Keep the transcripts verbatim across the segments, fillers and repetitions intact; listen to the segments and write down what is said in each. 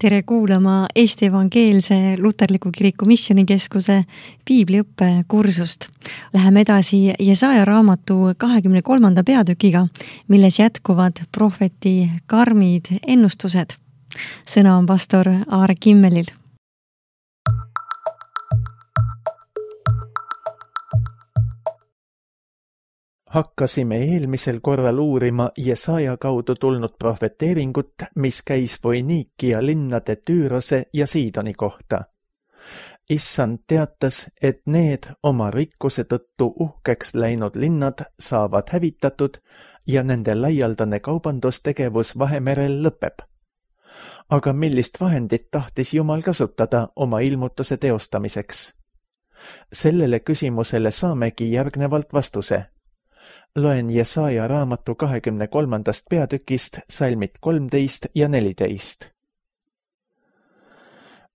Tere kuulama Eesti Evangeelse Luterliku Kiriku Missioonikeskuse piibliõppe kursust. Läheme edasi Jesaja raamatu kahekümne kolmanda peatükiga, milles jätkuvad prohveti karmid ennustused. Sõna on pastor Aare Kimmelil. Hakkasime eelmisel korral uurima Jesaja kaudu tulnud prohveteeringut, mis käis Foiniikia linnade Tüürose ja Siidoni kohta. Issand teatas, et need oma rikkuse tõttu uhkeks läinud linnad saavad hävitatud ja nende laialdane kaubandustegevus Vahemerel lõpeb. Aga millist vahendit tahtis Jumal kasutada oma ilmutuse teostamiseks? Sellele küsimusele saamegi järgnevalt vastuse. Loen Jesaja raamatu kahekümne kolmandast peatükist salmid kolmteist ja neliteist.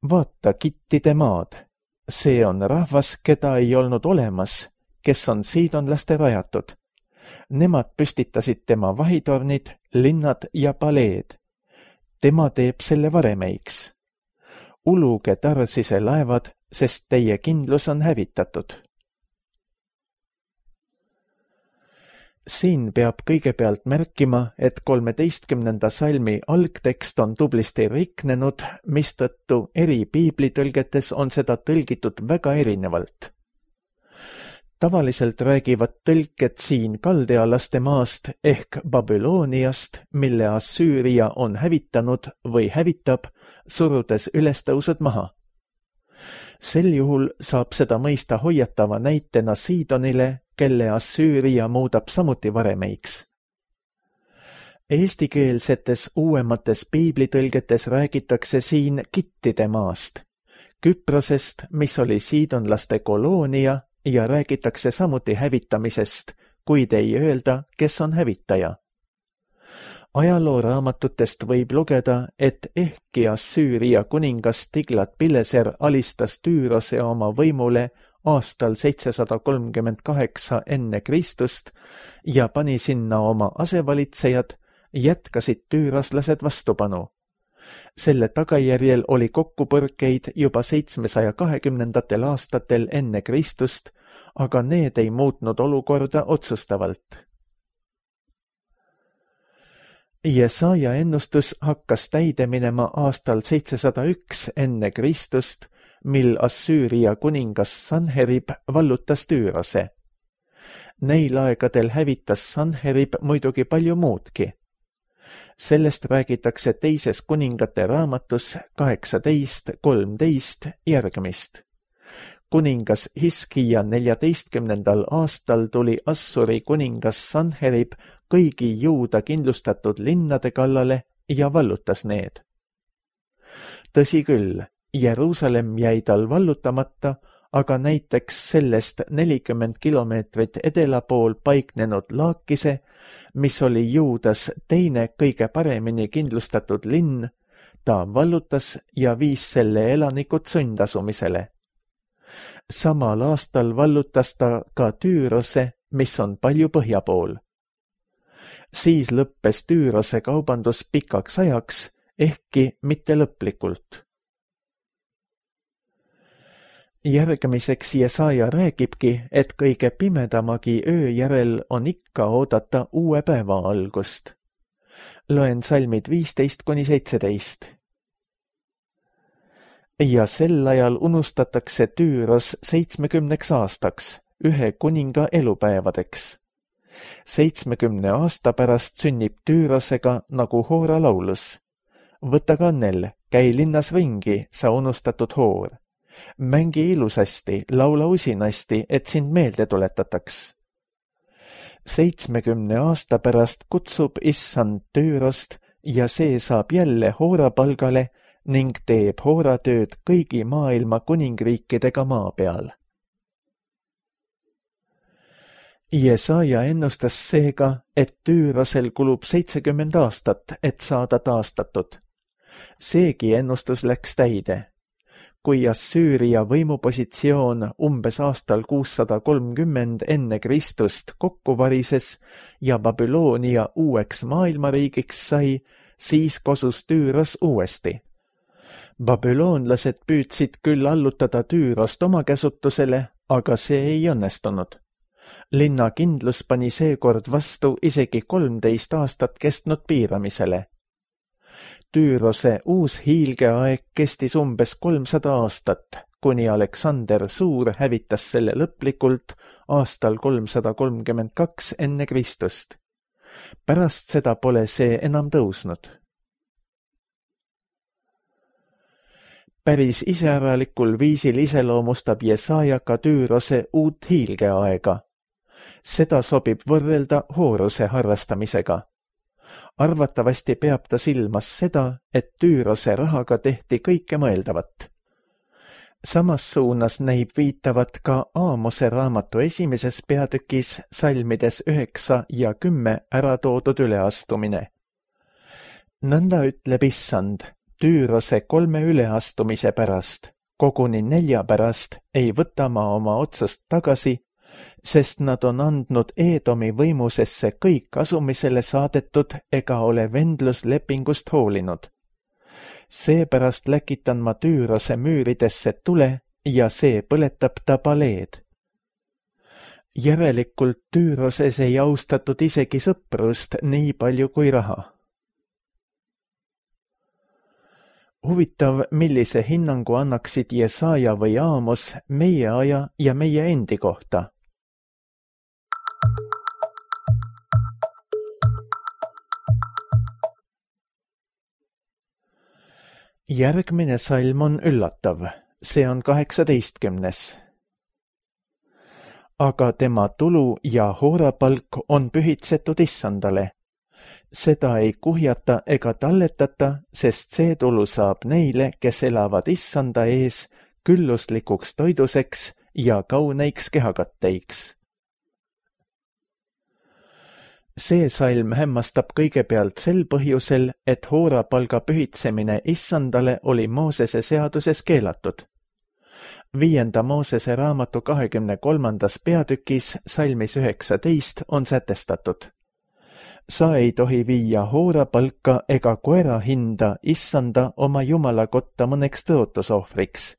Vaata kittide maad, see on rahvas, keda ei olnud olemas, kes on siidonlaste rajatud. Nemad püstitasid tema vahitornid, linnad ja paleed. Tema teeb selle varemeiks. Uluge Tarsise laevad, sest teie kindlus on hävitatud. Siin peab kõigepealt märkima, et kolmeteistkümnenda salmi algtekst on tublisti riknenud, mistõttu eri piiblitõlgetes on seda tõlgitud väga erinevalt. Tavaliselt räägivad tõlked siin kaldealaste maast ehk Babyloniast, mille Assüüria on hävitanud või hävitab, surudes ülestõusud maha. Sel juhul saab seda mõista hoiatava näitena Siidonile, kelle Assüüria muudab samuti varemeiks. Eestikeelsetes uuemates piiblitõlgetes räägitakse siin kittide maast, Küprosest, mis oli siidonlaste koloonia, ja räägitakse samuti hävitamisest, kuid ei öelda, kes on hävitaja. Ajalooraamatutest võib lugeda, et ehkki Assüüria kuningas Tiglat-Pileser alistas Tüürose oma võimule aastal seitsesada kolmkümmend kaheksa enne Kristust ja pani sinna oma asevalitsejad, jätkasid tüüroslased vastupanu. Selle tagajärjel oli kokkupõrkeid juba seitsmesaja kahekümnendatel aastatel enne Kristust, aga need ei muutnud olukorda otsustavalt. Jesaja ennustus hakkas täide minema aastal seitsesada üks enne Kristust, mil Assüüria kuningas Sanherib vallutas Tüürose. Neil aegadel hävitas Sanherib muidugi palju muudki. Sellest räägitakse teises kuningate raamatus kaheksateist kolmteist järgmist. Kuningas Hiskija neljateistkümnendal aastal tuli Assuri kuningas Sanherib kõigi Juuda kindlustatud linnade kallale ja vallutas need. Tõsi küll, Jeruusalemm jäi tal vallutamata, aga näiteks sellest nelikümmend kilomeetrit edela pool paiknenud Laakise, mis oli Juudas teine kõige paremini kindlustatud linn, ta vallutas ja viis selle elanikud sundasumisele. Samal aastal vallutas ta ka Tüürose, mis on palju põhja pool. Siis lõppes Tüürose kaubandus pikaks ajaks, ehkki mitte lõplikult. Järgmiseks Jesaja räägibki, et kõige pimedamagi öö järel on ikka oodata uue päeva algust. Loen salmid viisteist kuni seitseteist. Ja sel ajal unustatakse Tüüros seitsmekümneks aastaks, ühe kuninga elupäevadeks. Seitsmekümne aasta pärast sünnib Tüürosega nagu Hoora laulus. Võta kannel, käi linnas ringi, sa unustatud hoor. Mängi ilusasti, laula usinasti, et sind meelde tuletataks. Seitsmekümne aasta pärast kutsub Issand Tüürost ja see saab jälle Hoora palgale ning teeb hooratööd kõigi maailma kuningriikidega maa peal. Jesaja ennustas seega, et Tüürosel kulub seitsekümmend aastat, et saada taastatud. Seegi ennustus läks täide. Kui Assüüria võimupositsioon umbes aastal kuussada kolmkümmend enne Kristust kokku varises ja Babyloonia uueks maailmariigiks sai, siis kosus Tüüros uuesti. Babüloonlased püüdsid küll allutada Tüürost oma käsutusele, aga see ei õnnestunud. Linna kindlus pani seekord vastu isegi kolmteist aastat kestnud piiramisele. Tüürose uus hiilgeaeg kestis umbes kolmsada aastat, kuni Aleksander Suur hävitas selle lõplikult aastal kolmsada kolmkümmend kaks enne Kristust. Pärast seda pole see enam tõusnud. Päris iseäralikul viisil iseloomustab Jesaja ka Tüürose uut hiilgeaega. Seda sobib võrrelda Hooruse harrastamisega. Arvatavasti peab ta silmas seda, et Tüürose rahaga tehti kõike mõeldavat. Samas suunas näib viitavat ka Aamose raamatu esimeses peatükis salmides üheksa ja kümme ära toodud üleastumine. Nõnda ütleb Issand, Tüürose kolme üleastumise pärast, koguni nelja pärast ei võta ma oma otsust tagasi, sest nad on andnud Eedomi võimusesse kõik asumisele saadetud ega ole vendluslepingust hoolinud. Seepärast läkitan ma Tüürose müüridesse tule ja see põletab ta paleed. Järelikult Tüüroses ei austatud isegi sõprust nii palju kui raha. Huvitav, millise hinnangu annaksid Jesaja või Aamos meie aja ja meie endi kohta. Järgmine salm on üllatav, see on kaheksateistkümnes. Aga tema tulu ja hoorapalk on pühitsetud Issandale. Seda ei kuhjata ega talletata, sest see tulu saab neile, kes elavad Issanda ees, külluslikuks toiduseks ja kauneiks kehakatteiks. See salm hämmastab kõigepealt sel põhjusel, et hoorapalga pühitsemine Issandale oli Moosese seaduses keelatud. Viienda Moosese raamatu kahekümne kolmandas peatükis salmis üheksateist on sätestatud. Sa ei tohi viia hoorapalka ega koera hinda Issanda oma Jumala kotta mõneks tõotusohvriks,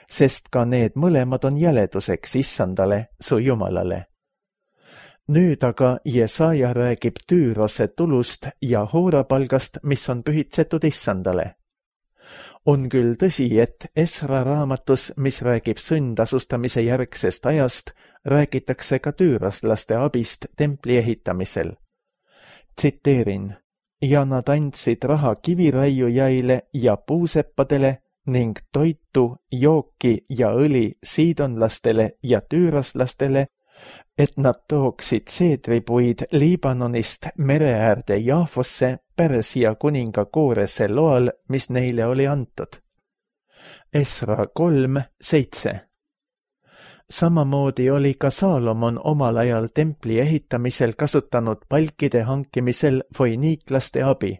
sest ka need mõlemad on jäleduseks Issandale, su Jumalale. Nüüd aga Jesaja räägib Tüürose tulust ja hoorapalgast, mis on pühitsetud Issandale. On küll tõsi, et Esra raamatus, mis räägib sündasustamise järgsest ajast, räägitakse ka tüüroslaste abist templi ehitamisel. Tsiteerin, ja nad andsid raha kiviraiujaile ja puuseppadele ning toitu, jooki ja õli siidonlastele ja tüüroslastele, et nad tooksid seedripuid Liibanonist mereäärde Jaafosse Pärsia kuninga Koorese loal, mis neile oli antud. Esra kolm seitse. Samamoodi oli ka Saalomon omal ajal templi ehitamisel kasutanud palkide hankimisel foiniiklaste abi.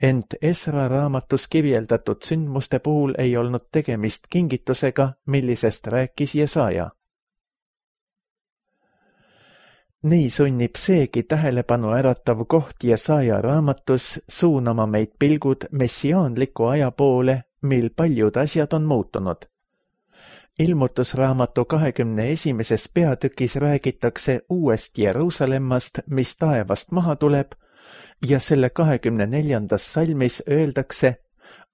Ent Esra raamatus kirjeldatud sündmuste puhul ei olnud tegemist kingitusega, millisest rääkis Jesaja. Nii sunnib seegi tähelepanu äratav koht Jesaja raamatus suunama meid pilgud messiaanliku aja poole, mil paljud asjad on muutunud. Ilmutusraamatu kahekümne esimeses peatükis räägitakse uuest Jeruusalemmast, mis taevast maha tuleb, ja selle kahekümne neljandas salmis öeldakse,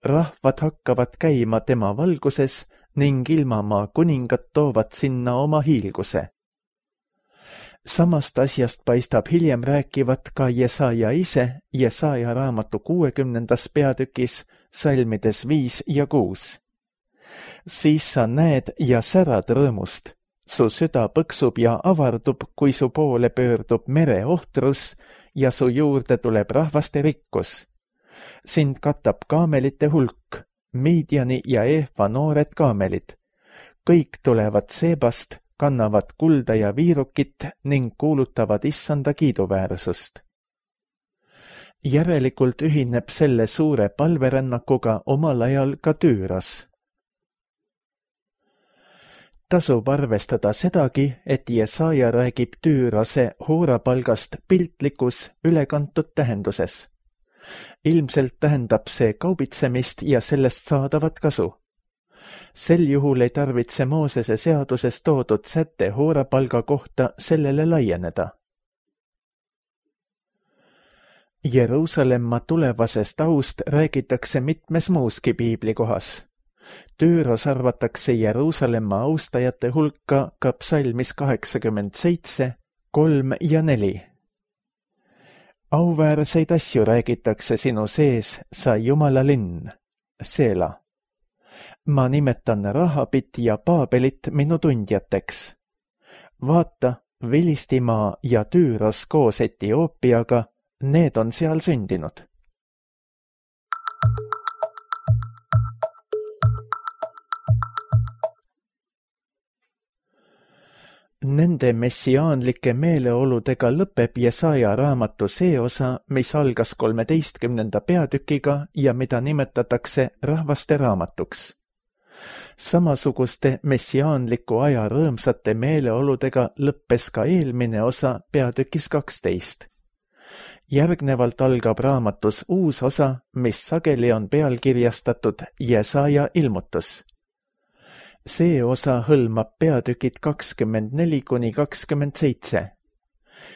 rahvad hakkavad käima tema valguses ning ilmamaa kuningad toovad sinna oma hiilguse. Samast asjast paistab hiljem rääkivat ka Jesaja ise Jesaja raamatu kuuekümnendas peatükis salmides viis ja kuus. Siis sa näed ja särad rõõmust, su süda põksub ja avardub, kui su poole pöördub mere ohtrus ja su juurde tuleb rahvaste rikkus. Sind katab kaamelite hulk, Midiani ja Eefa noored kaamelid. Kõik tulevad Seebast, kannavad kulda ja viirukit ning kuulutavad Issanda kiiduväärsust. Järelikult ühineb selle suure palverännakuga omal ajal ka Tüüros. Tasub arvestada sedagi, et Jesaja räägib Tüürose hoorapalgast piltlikus, ülekantud tähenduses. Ilmselt tähendab see kaubitsemist ja sellest saadavat kasu. Sel juhul ei tarvitse Moosese seaduses toodud sätte hoorapalga kohta sellele laieneda. Jeruusalemma tulevasest aust räägitakse mitmes muuski piiblikohas. Tüüros arvatakse Jeruusalemma austajate hulka ka psalmis kaheksakümmend seitse, kolm ja neli. Auväärseid asju räägitakse sinu sees, sa Jumala linn, Seela. Ma nimetan Rahabit ja Paabelit minu tundjateks. Vaata, Vilistimaa ja Tüüros koos Etioopiaga, need on seal sündinud. Nende messiaanlike meeleoludega lõpeb Jesaja raamatu see osa, mis algas kolmeteistkümnenda peatükiga ja mida nimetatakse rahvaste raamatuks. Samasuguste messiaanliku aja rõõmsate meeleoludega lõppes ka eelmine osa peatükis kaksteist. Järgnevalt algab raamatus uus osa, mis sageli on pealkirjastatud Jesaja ilmutus. See osa hõlmab peatükid kakskümmend neli kuni kakskümmend seitse.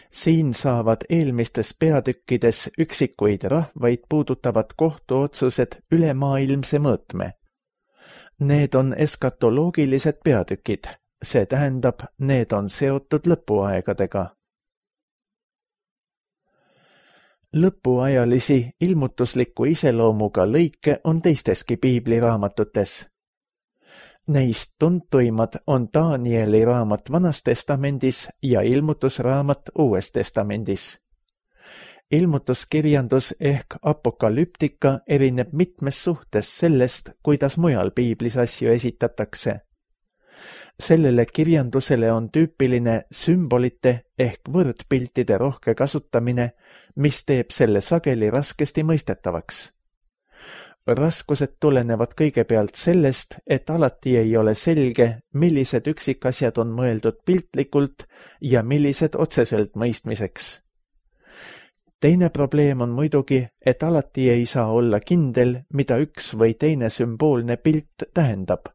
Siin saavad eelmistes peatükkides üksikuid rahvaid puudutavad kohtuotsused ülemaailmse mõõtme. Need on eskatoloogilised peatükid, see tähendab, need on seotud lõpuaegadega. Lõpuajalisi ilmutusliku iseloomuga lõike on teisteski piibliraamatutes. Neist tuntuimad on Danieli raamat Vanas testamendis ja ilmutusraamat Uues testamendis. Ilmutuskirjandus ehk apokalüptika erineb mitmes suhtes sellest, kuidas mujal piiblis asju esitatakse. Sellele kirjandusele on tüüpiline sümbolite ehk võrdpiltide rohke kasutamine, mis teeb selle sageli raskesti mõistetavaks. Raskused tulenevad kõigepealt sellest, et alati ei ole selge, millised üksikasjad on mõeldud piltlikult ja millised otseselt mõistmiseks. Teine probleem on muidugi, et alati ei saa olla kindel, mida üks või teine sümboolne pilt tähendab.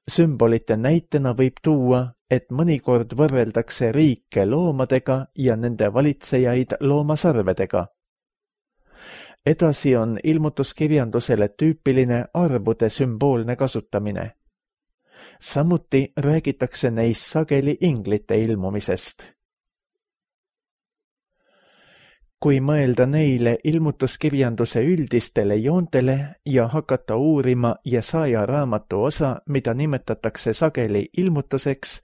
Sümbolite näitena võib tuua, et mõnikord võrreldakse riike loomadega ja nende valitsejaid loomasarvedega. Edasi on ilmutuskirjandusele tüüpiline arvude sümboolne kasutamine. Samuti räägitakse neis sageli inglite ilmumisest. Kui mõelda neile ilmutuskirjanduse üldistele joontele ja hakata uurima Jesaja raamatu osa, mida nimetatakse sageli ilmutuseks,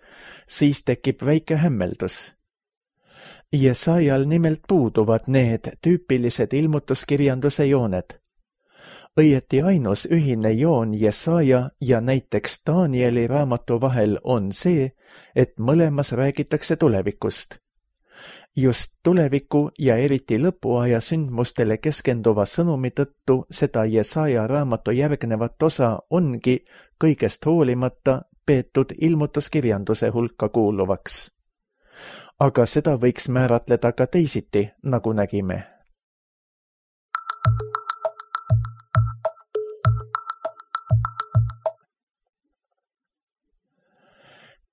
siis tekib väike hämmeldus. Jesajal nimelt puuduvad need tüüpilised ilmutuskirjanduse jooned. Õieti ainus ühine joon Jesaja ja näiteks Danieli raamatu vahel on see, et mõlemas räägitakse tulevikust. Just tuleviku ja eriti lõpuaja sündmustele keskenduva sõnumi tõttu seda Jesaja raamatu järgnevat osa ongi kõigest hoolimata peetud ilmutuskirjanduse hulka kuuluvaks. Aga seda võiks määratleda ka teisiti, nagu nägime.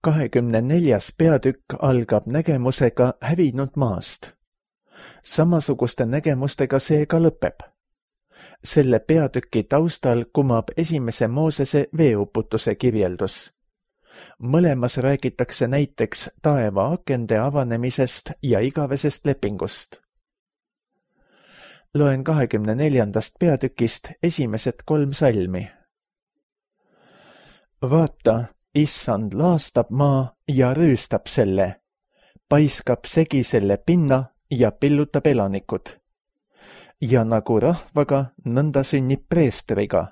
kahekümne neljas peatükk algab nägemusega hävinud maast. Samasuguste nägemustega see ka lõpeb. Selle peatüki taustal kumab esimese Moosese veeuputuse kirjeldus. Mõlemas räägitakse näiteks taeva akende avanemisest ja igavesest lepingust. Loen kahekümne neljandast peatükist esimesed kolm salmi. Vaata, issand laastab maa ja rüüstab selle, paiskab segi selle pinna ja pillutab elanikud. Ja nagu rahvaga, nõnda sünnib preestriga,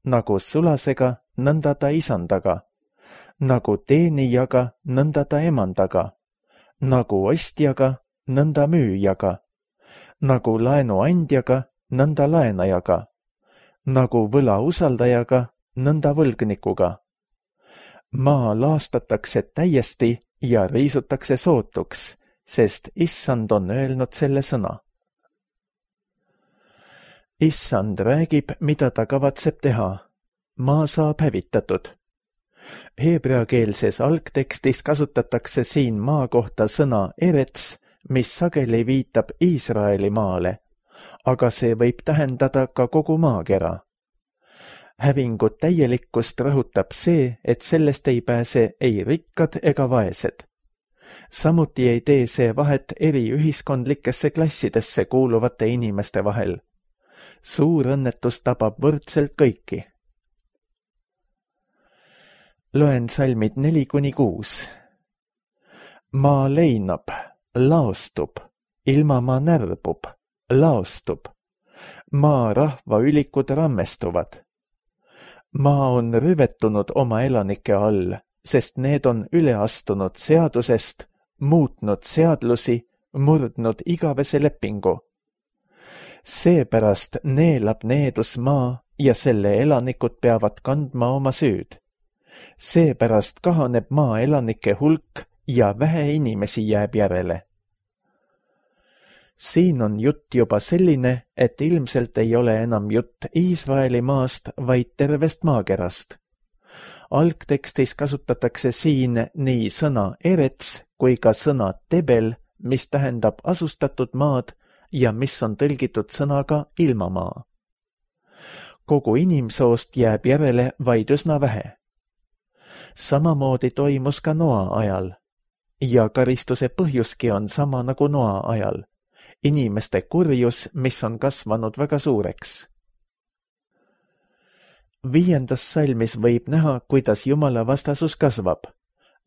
nagu sulasega, nõnda ta isandaga, nagu teenijaga, nõnda ta emandaga, nagu ostjaga, nõnda müüjaga, nagu laenuandjaga, nõnda laenajaga, nagu võla usaldajaga, nõnda võlgnikuga. Maa laastatakse täiesti ja riisutakse sootuks, sest issand on öelnud selle sõna. Issand räägib, mida ta kavatseb teha. Maa saab hävitatud. Heebreakeelses algtekstis kasutatakse siin maa kohta sõna erets, mis sageli viitab Iisraeli maale, aga see võib tähendada ka kogu maakera. Hävingu täielikkust rõhutab see, et sellest ei pääse ei rikkad ega vaesed. Samuti ei tee see vahet eri ühiskondlikesse klassidesse kuuluvate inimeste vahel. Suur õnnetus tabab võrdselt kõiki. Loen salmid neli kuni kuus. Maa leinab, laostub, ilmamaa närbub, laostub. Maa rahva ülikud rammestuvad. Maa on rüvetunud oma elanike all, sest need on üle astunud seadusest, muutnud seadlusi, murdnud igavese lepingu. Seepärast neelab needus maa ja selle elanikud peavad kandma oma süüd. Seepärast kahaneb maa elanike hulk ja vähe inimesi jääb järele. Siin on jutt juba selline, et ilmselt ei ole enam jutt Iisraeli maast, vaid tervest maakerast. Algtekstis kasutatakse siin nii sõna erets kui ka sõna tebel, mis tähendab asustatud maad ja mis on tõlgitud sõnaga ilmamaa. Kogu inimsoost jääb järele vaid üsna vähe. Samamoodi toimus ka Noa ajal ja karistuse põhjuski on sama nagu Noa ajal. Inimeste kurjus, mis on kasvanud väga suureks. Viiendas salmis võib näha, kuidas Jumala vastasus kasvab.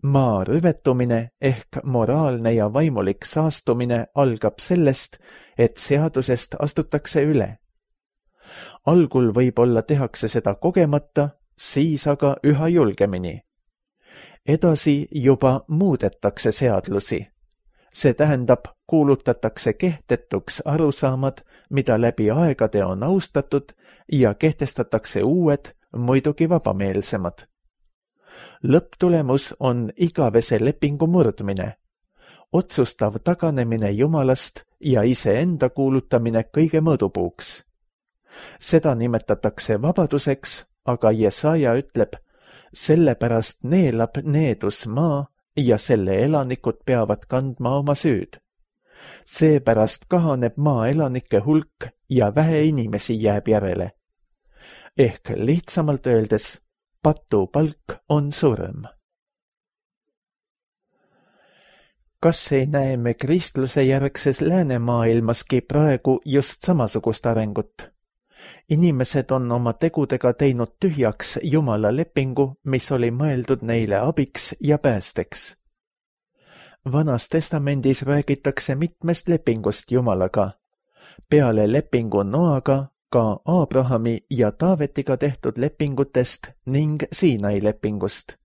Maa rüvetumine ehk moraalne ja vaimulik saastumine algab sellest, et seadusest astutakse üle. Algul võib-olla tehakse seda kogemata, siis aga üha julgemini. Edasi juba muudetakse seadlusi. See tähendab, kuulutatakse kehtetuks arusaamad, mida läbi aegade on austatud ja kehtestatakse uued, muidugi vabameelsemad. Lõpptulemus on igavese lepingu murdmine, otsustav taganemine Jumalast ja iseenda kuulutamine kõige mõõdupuuks. Seda nimetatakse vabaduseks, aga Jesaja ütleb, sellepärast neelab needus maa ja selle elanikud peavad kandma oma süüd. Seepärast kahaneb maa elanike hulk ja vähe inimesi jääb järele. Ehk lihtsamalt öeldes, patu palk on surm. Kas ei näe me kristluse järgses läänemaailmaski praegu just samasugust arengut? Inimesed on oma tegudega teinud tühjaks Jumala lepingu, mis oli mõeldud neile abiks ja päästeks. Vanas testamendis räägitakse mitmest lepingust Jumalaga. Peale lepingu Noaga ka Abrahami ja Taavetiga tehtud lepingutest ning Siinai lepingust.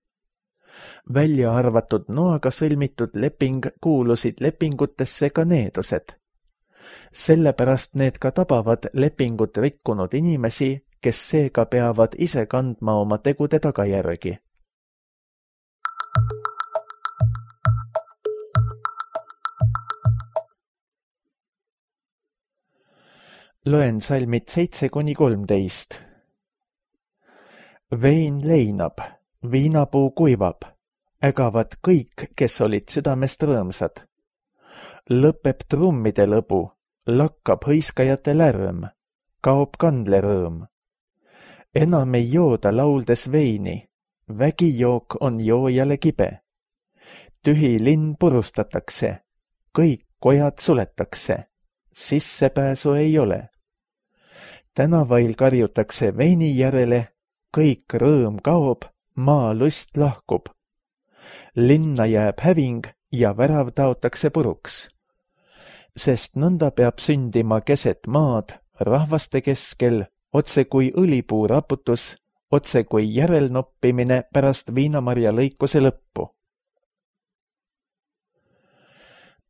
Välja arvatud Noaga sõlmitud leping kuulusid lepingutesse ka needused. Sellepärast need ka tabavad lepingut rikkunud inimesi, kes seega peavad ise kandma oma tegude tagajärgi. Loen salmid seitse kuni kolmteist. Vein leinab, viinapuu kuivab, ägavad kõik, kes olid südamest rõõmsad. Lõpeb trummide lõbu, lakkab hõiskajate lärm, kaob kandlerõõm. Enam ei jooda lauldes veini, vägijook on joojale kibe. Tühi linn purustatakse, kõik kojad suletakse, sissepääsu ei ole. Tänavail karjutakse veini järele, kõik rõõm kaob, maa lust lahkub. Linna jääb häving ja värav taotakse puruks. Sest nõnda peab sündima keset maad, rahvaste keskel, otse kui õlipuu raputus, otse kui järelnoppimine pärast viinamarja lõikuse lõppu.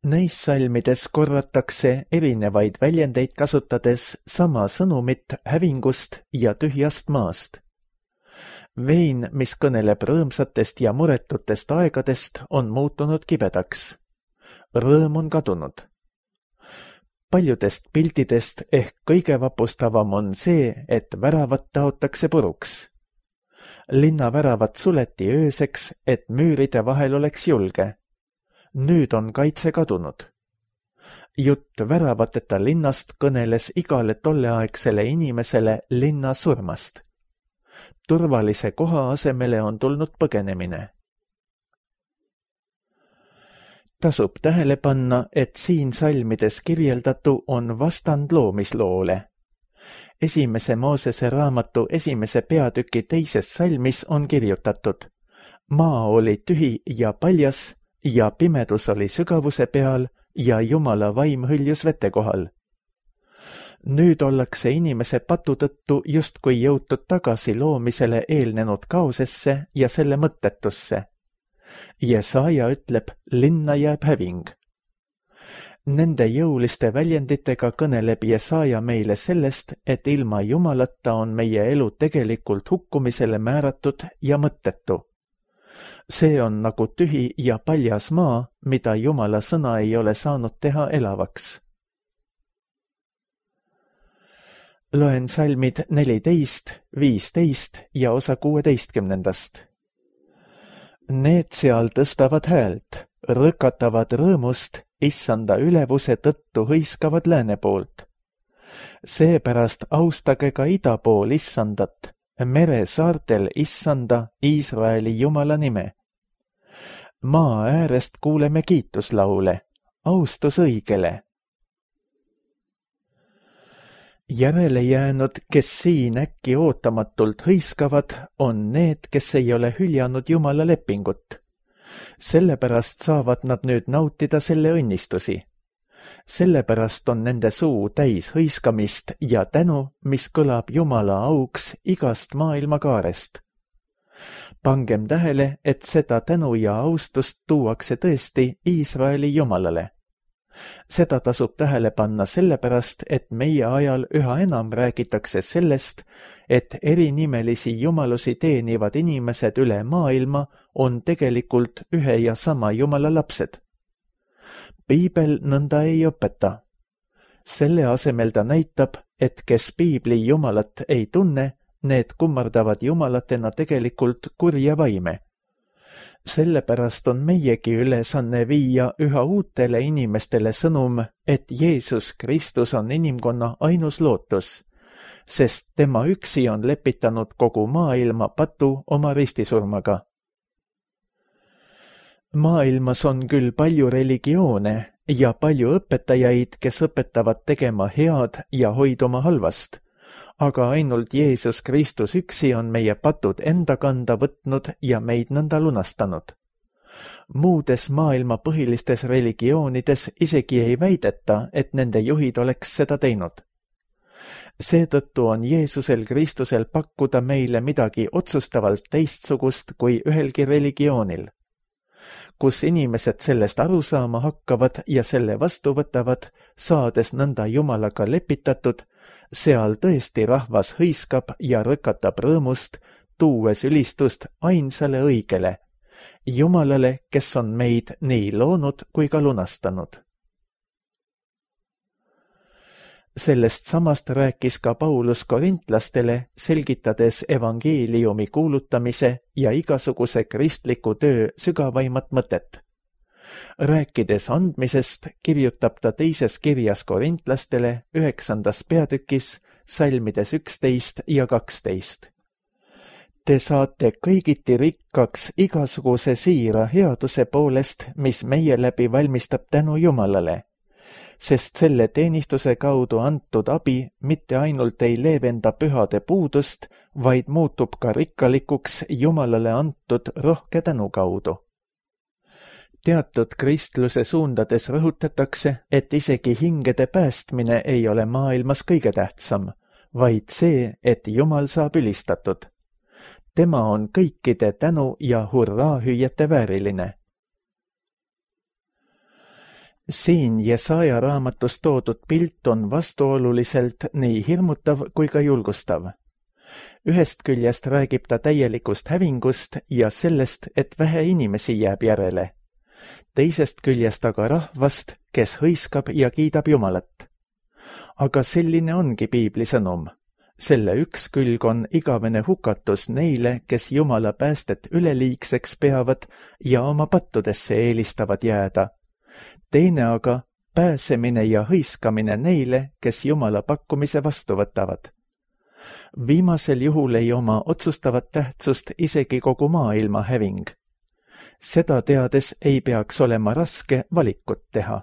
Neis salmides korratakse erinevaid väljendeid kasutades sama sõnumit hävingust ja tühjast maast. Vein, mis kõneleb rõõmsatest ja muretutest aegadest, on muutunud kibedaks. Rõõm on kadunud. Paljudest piltidest ehk kõige vapustavam on see, et väravat taotakse puruks. Linna väravat suleti ööseks, et müüride vahel oleks julge. Nüüd on kaitse kadunud. Jutt väravateta linnast kõneles igale tolleaegsele inimesele linna surmast. Turvalise koha asemele on tulnud põgenemine. Tasub tähele panna, et siin salmides kirjeldatu on vastand loomisloole. Esimese Moosese raamatu esimese peatüki teises salmis on kirjutatud: maa oli tühi ja paljas ja pimedus oli sügavuse peal ja Jumala vaim hõljus vete kohal. Nüüd ollakse inimese patu tõttu justkui jõutud tagasi loomisele eelnenud kaosesse ja selle mõttetusse. Jesaja ütleb, linna jääb häving. Nende jõuliste väljenditega kõneleb Jesaja meile sellest, et ilma Jumalata on meie elu tegelikult hukkumisele määratud ja mõttetu. See on nagu tühi ja paljas maa, mida Jumala sõna ei ole saanud teha elavaks. Loen salmid neliteist, viisteist ja osa kuueteistkümnendast. Need seal tõstavad häält, rõkatavad rõõmust, issanda ülevuse tõttu hõiskavad lääne poolt. Seepärast austage ka ida pool issandat, mere saartel issanda, Iisraeli Jumala nime. Maa äärest kuuleme kiituslaule, austus õigele. Järele jäänud, kes siin äkki ootamatult hõiskavad, on need, kes ei ole hüljanud Jumala lepingut. Sellepärast saavad nad nüüd nautida selle õnnistusi. Sellepärast on nende suu täis hõiskamist ja tänu, mis kõlab Jumala auks igast maailmakaarest. Pangem tähele, et seda tänu ja austust tuuakse tõesti Iisraeli Jumalale. Seda tasub tähele panna sellepärast, et meie ajal üha enam räägitakse sellest, et erinimelisi jumalusi teenivad inimesed üle maailma on tegelikult ühe ja sama Jumala lapsed. Piibel nõnda ei õpeta. Selle asemel ta näitab, et kes piibli Jumalat ei tunne, need kummardavad Jumalatena tegelikult kurja vaime. Sellepärast on meiegi ülesanne viia üha uutele inimestele sõnum, et Jeesus Kristus on inimkonna ainus lootus, sest tema üksi on lepitanud kogu maailma patu oma ristisurmaga. Maailmas on küll palju religioone ja palju õpetajaid, kes õpetavad tegema head ja hoiduma halvast, aga ainult Jeesus Kristus üksi on meie patud enda kanda võtnud ja meid nõnda lunastanud. Muudes maailma põhilistes religioonides isegi ei väideta, et nende juhid oleks seda teinud. Seetõttu on Jeesusel Kristusel pakkuda meile midagi otsustavalt teistsugust kui ühelgi religioonil. Kus inimesed sellest aru saama hakkavad ja selle vastu võtavad, saades nõnda Jumalaga lepitatud, seal tõesti rahvas hõiskab ja rõkatab rõõmust, tuues ülistust ainsale õigele, Jumalale, kes on meid nii loonud kui ka lunastanud. Sellest samast rääkis ka Paulus korintlastele, selgitades evangeeliumi kuulutamise ja igasuguse kristliku töö sügavaimat mõtet. Rääkides andmisest, kirjutab ta teises kirjas korintlastele üheksandas peatükis, salmides üksteist ja kaksteist. Te saate kõigiti rikkaks igasuguse siira headuse poolest, mis meie läbi valmistab tänu Jumalale, sest selle teenistuse kaudu antud abi mitte ainult ei leevenda pühade puudust, vaid muutub ka rikkalikuks Jumalale antud rohke tänu kaudu. Teatud kristluse suundades rõhutatakse, et isegi hingede päästmine ei ole maailmas kõige tähtsam, vaid see, et Jumal saab ülistatud. Tema on kõikide tänu ja hurraahüüjate vääriline. Siin Jesaja raamatus toodud pilt on vastuoluliselt nii hirmutav kui ka julgustav. Ühest küljest räägib ta täielikust hävingust ja sellest, et vähe inimesi jääb järele. Teisest küljest aga rahvast, kes hõiskab ja kiidab Jumalat. Aga selline ongi piibli sõnum. Selle üks külg on igavene hukatus neile, kes Jumala päästet üleliigseks peavad ja oma pattudesse eelistavad jääda. Teine aga pääsemine ja hõiskamine neile, kes Jumala pakkumise vastu võtavad. Viimasel juhul ei oma otsustavat tähtsust isegi kogu maailma häving. Seda teades ei peaks olema raske valikut teha.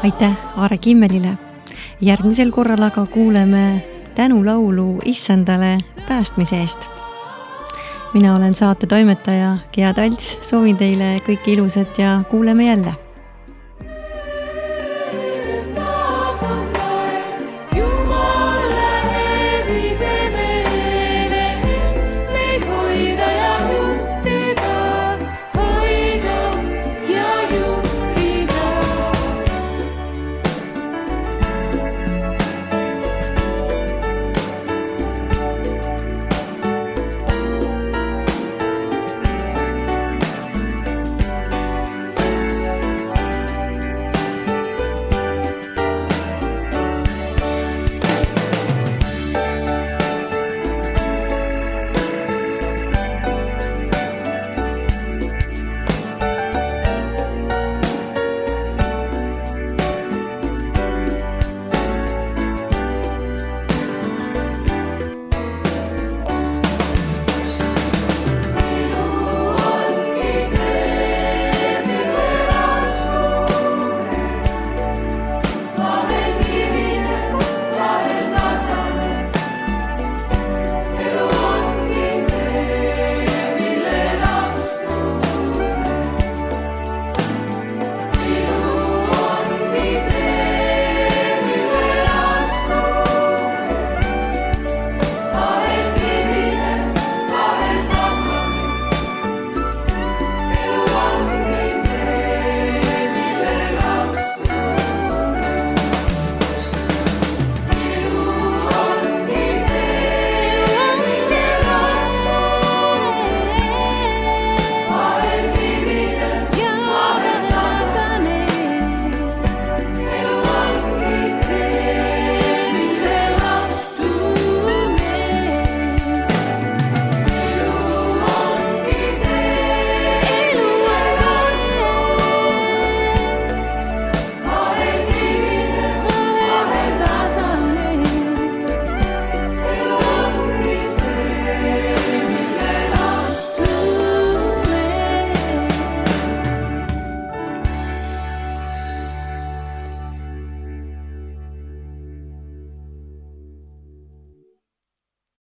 Aitäh Aare Kimmelile. Järgmisel korral aga kuuleme tänulaulu Issandale päästmise eest. Mina olen saate toimetaja Gea Talts, soovin teile kõike ilusat ja kuuleme jälle.